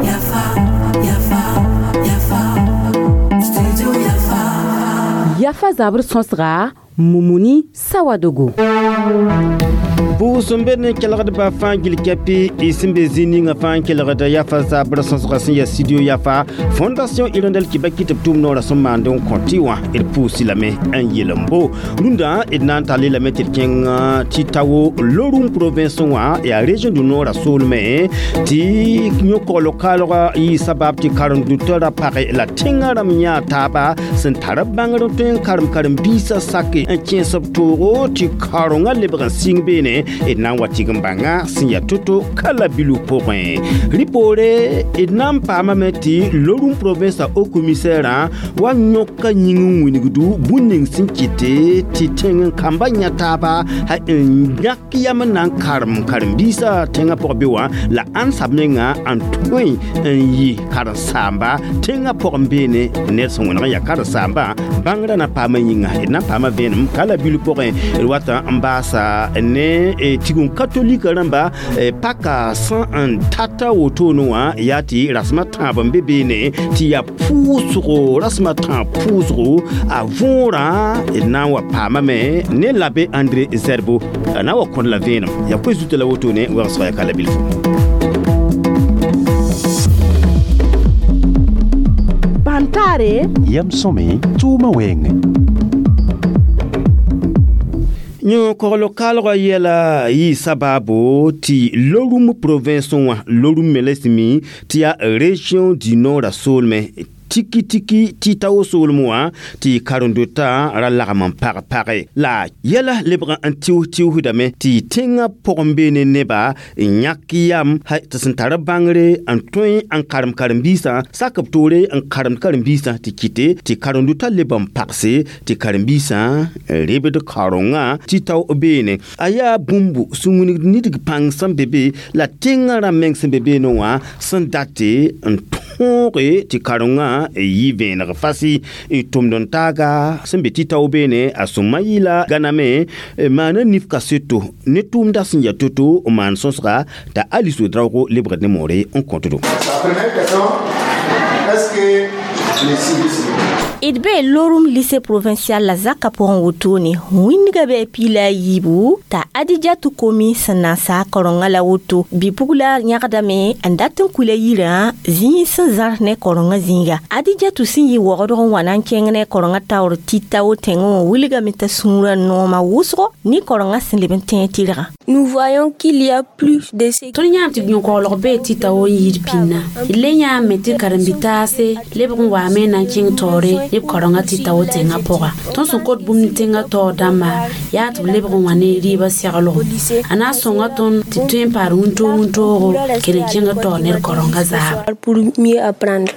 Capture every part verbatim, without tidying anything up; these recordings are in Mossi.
Yafa, Yafa, Yafa, Studio Yafa. Yafa zabr sõsga Mumuni Sawadogo. Pʋʋs n be ne kelgdbã fãa gil kɛpɩ y sẽn be zĩig ninga fãa n kelgda Yafa zabr sõsga sẽn yaa studio Yafa Fondation Hirondelle Kibaki tɩ b tʋʋm noorã sẽn maand n kõ tɩ wã d pʋʋsɩ lame n yel n bo rũndã d na n tall lame tɩ d kẽng tɩ tao Lorum province wã yaa région du nord a soolmẽ tɩ yõ-kogl kaalgã yɩ sabab tɩ karen-dotã ra page la tẽngã rãmb yã taaba sẽn tar b bãngr n tõe n karem karen-biisã sake n kẽes b toogo tɩ karengã lebg n sɩng beene d na n wa tɩg n bãnga sẽn yaa to-to kala bilu pʋgẽ rɩ poore d na n paamame tɩ Lorum province a haut commissaire wa yõka yĩng n wilgdu bũn ning sẽn kɩte tɩ tẽng n kamba yã taaba n yãk yam n na n karem karen-biisã tẽngã pʋg be wã la ãn sab menga n tõe n yɩ karen-saamba tẽngã pʋgẽ beene ned sẽn wẽneg n yaa karen-saambã bãngrã na paama yĩnga d na n paama vẽenem kala bilu pʋgẽ d wata n baasa ne tigum katolika rãmba paka sã n tata wotone wã yaa tɩ rasmã tãab n be beene tɩ yaa pʋʋsgo rasmã tãab pʋʋsgo a võorã d na n wa paamame ne l'abbé André Zerbo a na n wa kõd la vẽenem yaa koe zuta la wotone wegsga yaa kala bilfo. Bãntaare yam sõme tʋʋmã wɛɛngẽ. Yõ-kogl kaalgã yɛla yɩ sabaabo tɩ Lorum province wã Lorum me la sẽn mi tɩ yaa région du nord a soolmẽ tiki tiki tɩ tao soolem wã tɩ karen-dotã ra lagm n pag page la yɛla lebg n tɩʋs tɩʋsdame tɩ tẽngã pʋgẽ beene neba n yãk yam tɩ sẽn tar bãngre n tõe n karem karen-biisã sak b toore n karemd karen-biisã tɩ kɩte tɩ karen-dotã leb n pagse tɩ karen-biisã n rebd karengã tɩ tao beene a yaa bũmb sẽn wilgd nidg pãng sẽn be be la tẽngã rãmb meng sẽn be beene wã sẽn date n tõoge tɩ karengã yɩ vẽeneg fasi tʋmd n taaga sẽn be tɩ tao beene a sõma yɩla gãname maana nif kaseto ne tʋʋmda sẽn yaa to-to n maan sõsga t'a Alice Ouedraogo lebgd ne moore n kõtdo. La première question, est-ce que D be Lorum lycée provincial la zaka pʋgẽ wotone wĩndgã bɩ piila a yiibu t'a Adijatu Komi sẽn na n saa karengã la woto bɩ-pugla yãgdame n dat n kuila yirã zĩig sẽn zãrs ne karengã zĩiga Adijatu sẽn yɩ waoogdg n wa na n kẽng ne karengã taoor tɩ tao tẽngẽ wã wilgame t'a sũurã noomã wʋsgo ne karengã sẽn leb n tẽeg tɩrgã. Nous voyons qu'il y a plus de Tõnd yãam tɩ yõ-koglg bee tɩ tao n yɩɩd pĩnna d le yãame tɩ karen-bi-taase lebg n waame na n kẽng taoore ne b karengã tɩ tao tẽngã pʋga tõnd sẽn kot bũmb tẽngã taoor dãmba yaa tɩ b lebg n wa ne rɩɩbã seglgo a na n sõnga tõnd tɩ tõe n paad wũntoog wũntoogo kell n kẽng taoor ned karengã zaaba. Pour mieux apprendre.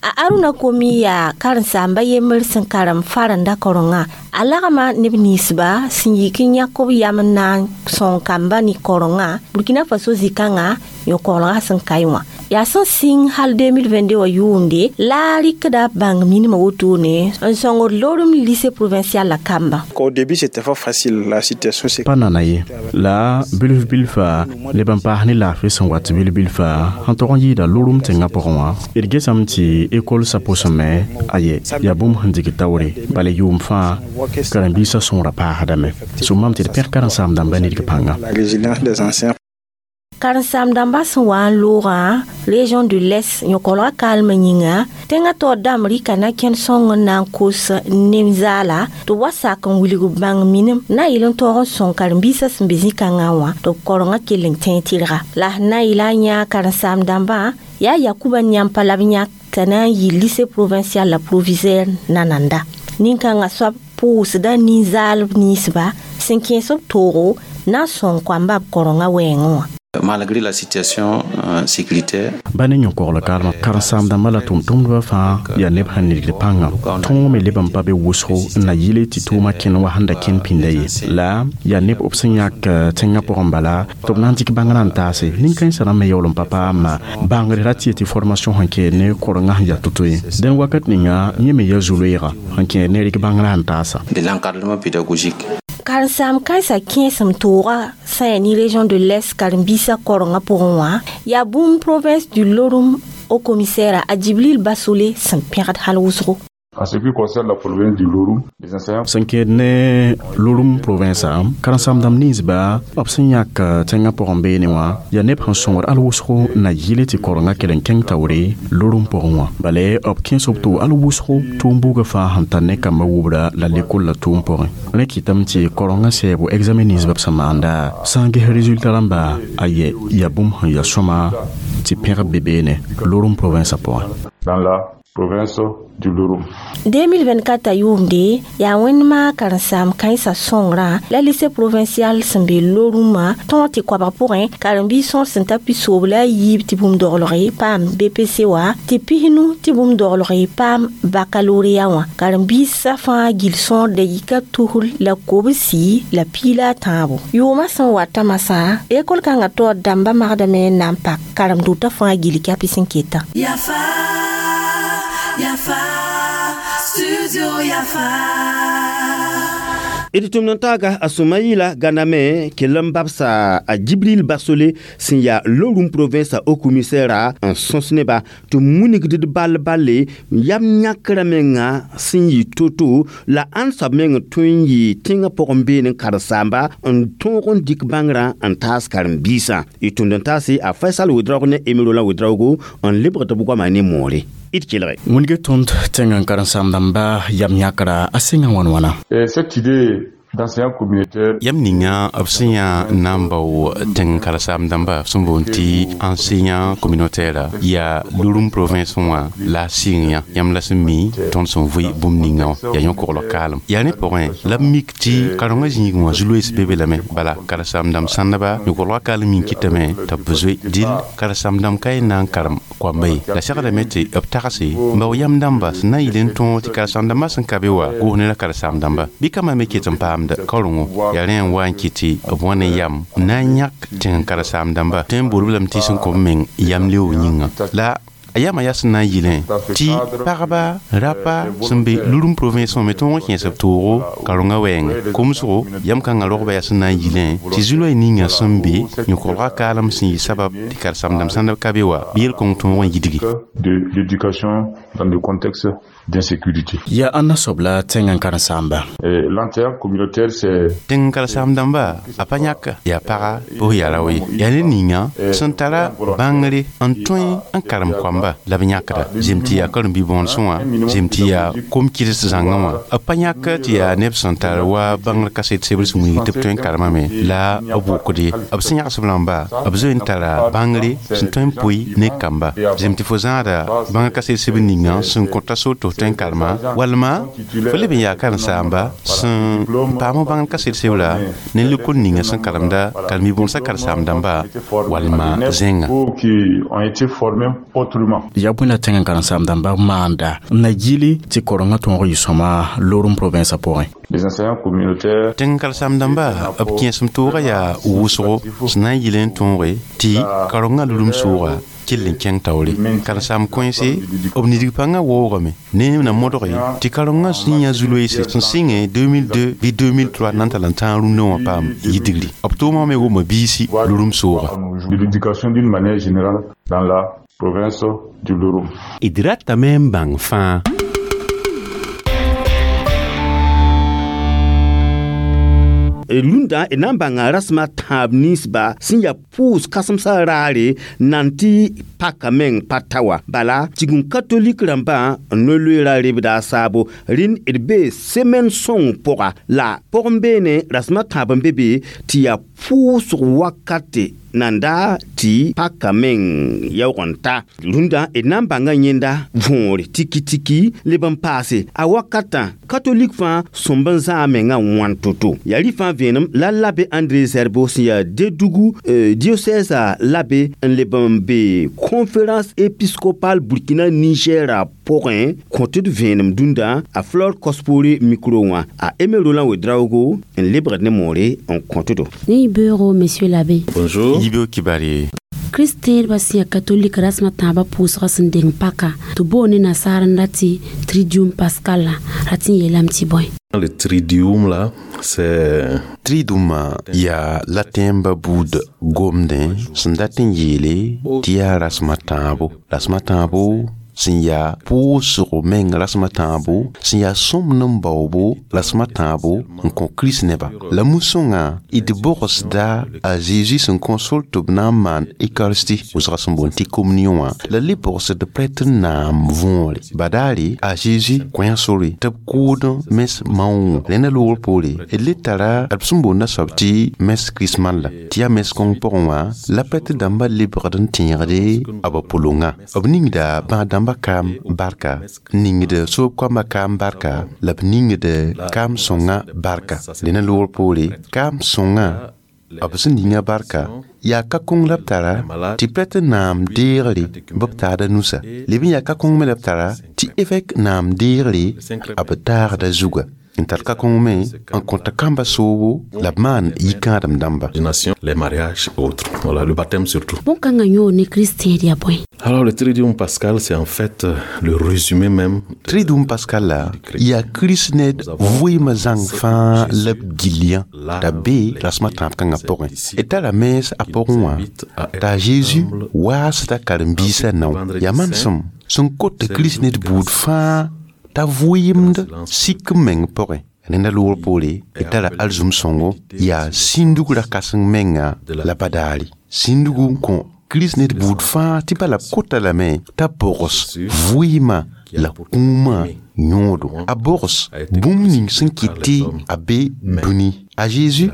A Aruna Komi yaa karen-saamba yembr sẽn karem farenda karengã a lagma neb ninsba sẽn yik n yãk b yam n na n sõng kamba ne karengã Burkina Faso zĩ-kãngã yõ-koglgã sẽn kae wã yaa sẽn sɩng hal deux mille vingt-deux wã yʋʋmde la a rɩkda bãng minimã wotone n sõngd Lorum lycée provincial la kamba. Au début, c'était pas facile, la situation c'est Pa nana ye la bilf bilfa leb n paas ne laafɩ sẽn wat bil bilfa sẽn tog n yɩɩda Lorum tẽngã pʋgẽ wã d gesame tɩ école sa pʋsẽme aye yaa bũmb sẽn dig taoore bala yʋʋm fãa karen-biisã sõora paasdame sʋmame tɩ d pẽg karen-saam-dãmbã nidg pãnga. La résilience des anciens. Karen-saam-dãmbã sẽn wa n loogã région de l'Est yõ-koglgã kaalmã yĩnga tẽngã taoor dãmb rɩka na kẽnd sõng n na n kos nem-zaala tɩ b wa sak n wilg bãng minim na n yɩl n taoog n sõng karen-biisã sẽn be zĩ-kãngã wã tɩ b karengã kell n tẽeg tɩrga la sẽn na n yɩla n yãag karen-saam-dãmbã yaa Yakuba Yãmpa la b yãk t'a na n yɩ lycée provincial la proviseur nananda nin-kãngã soab pʋʋsda nin-zaalb ninsba sẽn kẽes b toogo na n sõng koamba b karengã wɛɛngẽ wã. Malgré la situation euh, sécuritaire, Ba ne yõ-kogl kaalmã karen-saam-dãmbã la tʋm-tʋmdbã fãa yaa neb sẽn nidgd pãnga tõog me leb n pa be wʋsgo n na yɩle tɩ tʋʋmã kẽn wa sẽn da kẽn pĩnda ye la yaa neb b sẽn yãk tẽngã pʋgẽ bala tɩ b na n dɩk bãngrã n taase nin-kãensã rãmb me yaool n pa paama bãngr ra tɩ tɩ formation sẽn kɛɛd ne korengã sẽn yaa to-to ye dẽn wakat ninga yẽ me yaa zu-loeega sẽn kẽed ne rɩk bãngrã n taasa. De l'encadrement pédagogique. Karen-saam kãensã kẽesem tooga. sã yaa ne région de l'Est karen-biisã korengã pʋgẽ wã yaa bũmb province du Loroum haut commissaire a Djibril Bassolé sẽn pẽgd hal wʋsgo. En ce qui concerne la province du Loroum, les enseignants sẽn kẽed ne Loroum province karen-saam-dãmb ninsba b sẽn yãk tẽngã pʋgẽ beene wã yaa neb sẽn sõngd al wʋsgo na yɩle tɩ korengã kell n kẽng taoore Loroum pʋgẽ wã bala b kẽes b tʋ al wʋsgo tʋʋm buugã fãa sẽn tar ne kambã wubra la lekol la tʋʋm pʋgẽ rẽ kɩtame tɩ korengã sɛɛbo examen ninsba b sẽn maanda sã n ges résultat rãmba a yɛ yaa bũmb sẽn yaa sõma tɩ pẽgb be beene Loroum province pʋgẽ. Dans la province du Loroum. deux mille vingt-quatre yʋʋmde yaa wẽndmã karen-saam kãensã sõngrã la lycée provincial sẽn be Lorumã tõog tɩ koabg pʋgẽ karen-biis sõor sẽn ta pisoob la a yiib tɩ bũmb doglge paam B P C wa tɩ pisnu tɩ bũmb doglge paam baccalauréat wã karen-biisã fãa gil sõor dakɩka tusr la kobsi la piila a tãabo yʋʋmã sẽn wata masã ekol kãngã taoor dãmbã magdame n na n pak karem-dotã fãa gil kɛpɩ sẽn ketã. Yafa, Yafa, Studio Yafa. D tʋmd n taaga a Sʋmayila Ganame kell n babsa a Djibril Basole sẽn yaa Loroum province haut commissaire n sõs neba tɩ munigd d ball balle yam yãkrã menga sẽn yɩ to-to la ãnd soab meng tõe n yɩ tẽngã pʋgẽ beene n karen-saamba n tõog n dɩk bãngrã n taas karen-biisã y tʋmd n taase a Faisal Wedraogo ne Aimé Roland Wedraogo n lebgd b goama ne moore d kelge. Wĩnge tõnd tẽng n karen-saam-dãmba yam yãkra a sẽngã wãn wãna. Et cette idée d'enseignant communautaire Yam ninga b sẽn yaa n na n bao tẽng karen-saam-dãmba sẽn boond tɩ enseignant communautaire yaa Loroum province wã la a sɩng yã yãmb la sẽn mi tõnd sẽn vʋɩ bũmb ninga wã yaa yõ-koglg kaalem yaa ne pʋgẽ la b mik tɩ karengã zĩigẽ wã zu-loees be be lame bala karen-saam-dãmb sãndba yõ-koglgã kaalem yĩn kɩtame tɩ b zoe dɩl karen-saam-dãmb ka y na n karem koamba ye la segdame tɩ b tagse n bao yam dãmba sẽn na n yɩl n tõog tɩ karen-saam-dãmbã sẽn ka be wa goos ne la karen-saam-dãmba bɩ kambã me ket n paamda kaorengo yaa rẽ n wa n kɩ tɩ b wa ne yam n na n yãk tẽng karen-saam-dãmba tõe n bool b lame tɩ sẽn kõ b meng yam leoog yĩnga la a yama yaa sẽn na n yɩlẽ tɩ pagba rapa sẽn be Loroum province wã me tõog n kẽes b toogo karengã wɛɛngẽ komsgo yam kãngã rogba yaa sẽn na n yɩlẽ tɩ zu-loɛɛ ninga sẽn be yõ-koglgã kaalem sẽn yɩ sabab tɩ karen-saam-dãmb sãndb ka be wa bɩ yel-kõng tõog n yidgi. De l'éducation dans le contexte d'insécurité. Yaa ãnna soab la tẽng n karen-saamba? Et l'enseignant communautaire, c'est Tẽng karen-saam-dãmba a pa yãka yaa paga bʋs yaa rao ye yaa ne ninga sẽn tara bãngre n tõe n karem koamba la b yãkda zem tɩ yaa karen-bi-bõonesẽ wã zem tɩ yaa kom-kɩds zãngã wã b pa yãk tɩ yaa neb sẽn tar wa bãngr kaset sebr sẽn wilg tɩ b tõe n karemame la b wʋkd ye b sẽn yãgs b rãmba b zoe n tara bãngre sẽn tõe n pʋɩ ne kamba zem tɩ fo zãada bãngr kaset sebr ninga sẽn kõta so tɩ f tõe n karema walma fo leb n yaa karen-saamba sẽn paam bãngr kaset sebra ne lekol ninga sẽn karemda karen-bi-bõonesã karen-saam-dãmba walma zẽnga. Ou qui ont été formés autrement. Yaa bõe la tẽng n karen-saam-dãmba maanda n na yɩle tɩ korengã tõog yɩ sõma Loroum province pʋgẽ? Les enseignants communautaires Tẽng karen-saam-dãmba b kẽesem toogã yaa wʋsgo sẽn na n yɩl n tõoge tɩ karengã Loroum sʋʋga kell n kẽng taoore karen-saam kõense b nidg pãngã waoogame ne na modge tɩ karengã sẽn yã zu-loeese sẽn sɩngẽ deux mille deux bɩ deux mille trois na n tall n tãag rũndã wã paam yidgri b tʋʋmã me wʋma biisi Loroum sʋʋga. De l'éducation d'une manière générale dans la province du Loroum. D ratame n bãng fãa. Rũndã d na n bãnga rasem a tãab ninsba sẽn yaa pʋʋs kãsemsã raare nan tɩ paka meng pa ta wa bala tigum katolik rãmbã n no-loeera rebda a saabo rẽnd d bee semaine sõng pʋga la pʋgẽ beene rasem a tãab n be be tɩ yaa pʋʋsg wakate nan da tɩ paka meng yaoog n ta rũndã d na n bãnga yẽnda võore tiki-tiki leb n paase a wakatã katolik fãa sõmb n zãa mengã wãn to-to yaa rɩ fãa vẽenem la l'abbé André Zerbo sẽn yaa Dédougou euh, diocèse l'abbé n leb n be conférence épiscopale Burkina Niger pʋgẽ kõ tɩ d vẽenem dũndã a Flore Kospore micro wã a Aimé Roland Wedraogo n lebgd ne moore n kõ tɩ do. Ni bureau, monsieur l'abbé. Bonjour. Yibeo kibari. Kristẽedbã sẽn yaa katolik rasmã tãabã pʋʋsgã sẽn deng paka tɩ boone nasaar n ra tɩ triduum pascal la rat n yeelame tɩ bõe. Le triduum là, c'est Triduumã yaa latẽmbã buud gomdẽ sẽn dat n yeele tɩ yaa rasmã tãabo. Rasmã tãabo sẽn yaa pʋʋsgo meng rasmã tãabo, sẽn yaa sõmb n baoobo rasmã tãabo n kõ Kirist nebã. La mu-sõngã d bogsda a Zeezi sẽn kõ sor tɩ b na n maan Eucharistie wʋsga sẽn boond tɩ communion wã, la le bogsd prêtre naam võore. Badaare a Zeezi kõ sore tɩ b kʋʋd mens maoongõ. Rẽnda loogr poore d le tara b sẽn boonda soab tɩ mens chrismale la tɩ yaa mens kõng pʋgẽ wã la prêtre dãmbã lebgd n tẽegde b pʋlongã. B ningda bãag dãmbã kaam barka, ningd soob koambã kaam barka, la b ningd kaam sõngã barka. Rẽnda loogr poore kaam sõngã b sẽn ninga barka yaa ka kõng la b tara tɩ prêtre naam deegre bɩ b taada nusa. Leb n yaa ka kõng me la b tara tɩ évêque naam deegre b taagda zuga. N tar ka kõng me n kõta kamba soobo la b maan yikãadem dãmba. Les mariages et autres. Voilà, le baptême surtout. Bõn-kãngã yõod ne kristẽed yaa bõe? Alors le Triduum pascal, c'est en fait le résumé même. Triduum pascal la yaa Kirist ned vɩɩmã zãng fãa la b gill yã t'a be rasmã tãab kãngã pʋgẽ. D tara mens a pʋgẽ wã t'a Zeezi waasda karen-biisã nao. Yaa manesem sẽn kot Kirist ned buud fãa t'a vɩɩmd sik n meng pʋgẽ. Rẽnda loogr poore d tara alizum sõngo yaa sĩndug ra-kãseng menga la badaare. Sĩndgu n kõ Kirist ned buud fãa tɩ bala b kota lame t'a bogs vɩɩmã la kũumã yõodo. A bogs bũmb ning sẽn kɩt tɩ a be dũni. A Zeezi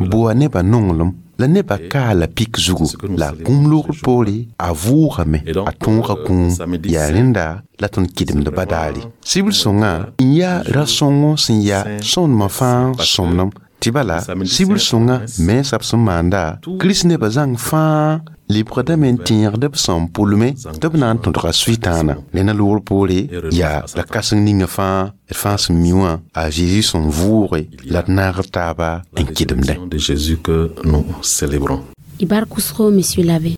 boa nebã nonglem la nebã kaala pik zugu la a kũum loogr poore a vʋʋgame a tõoga kũum. Yaa rẽnda la tõnd kɩdemd badaare. Sibr sõngã n yaa ra-sõngo sẽn yaa sõndmã fãa sõmnem. Tɩ bala sibr sõngã mensã b sẽn maanda Kirist nebã zãng fãa lebgdame n tẽegd b sẽn pʋlme tɩ b na n tõdga Sʋɩtãana. Rẽnda loogr poore yaa ra-kãseng ninga fãa d fãa sẽn mi wã a Zeezi sẽn vʋʋge la d naag taaba n kɩdemdẽ. De Jésus que nous célébrons. Y bark wʋsgo, monsieur l'abbé.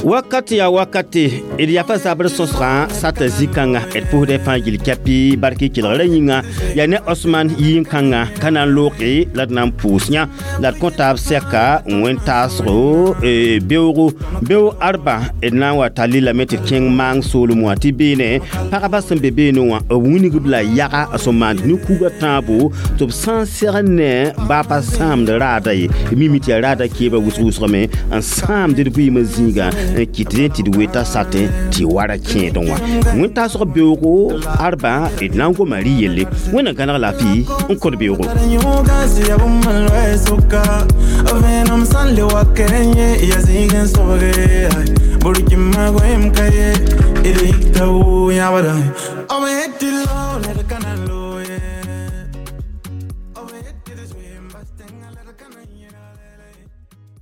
Wakat ya wakati d yafa zabr sõsgã sata zĩ-kãnga d pʋsd fãa gill kɛpɩ bark kelgrã yĩnga yaa ne Osman yĩn-kãnga ka na n looge la d na n pʋʋs yã la d kõ taab sɛka n wẽn taasgo beoogo beoog arba d na n wa tall lame tɩ d kẽng maang soolem wã tɩ beene pagba sẽn be beene wã b wilgb la yaga sẽn maand ne-kuga tãabo tɩ b sã n segd ne baa pa sãamd raada ye mimi tɩ yaa raada keebã wʋsg wʋsgame n sãamd d vɩɩmã zĩigã n kɩt rẽ tɩ d weta satẽ tɩ wara kẽedẽ wã. Wẽn-taasg beoogo arba d na n goma rɩ yelle. Wẽnna gãneg laafɩ n kõt beoogo.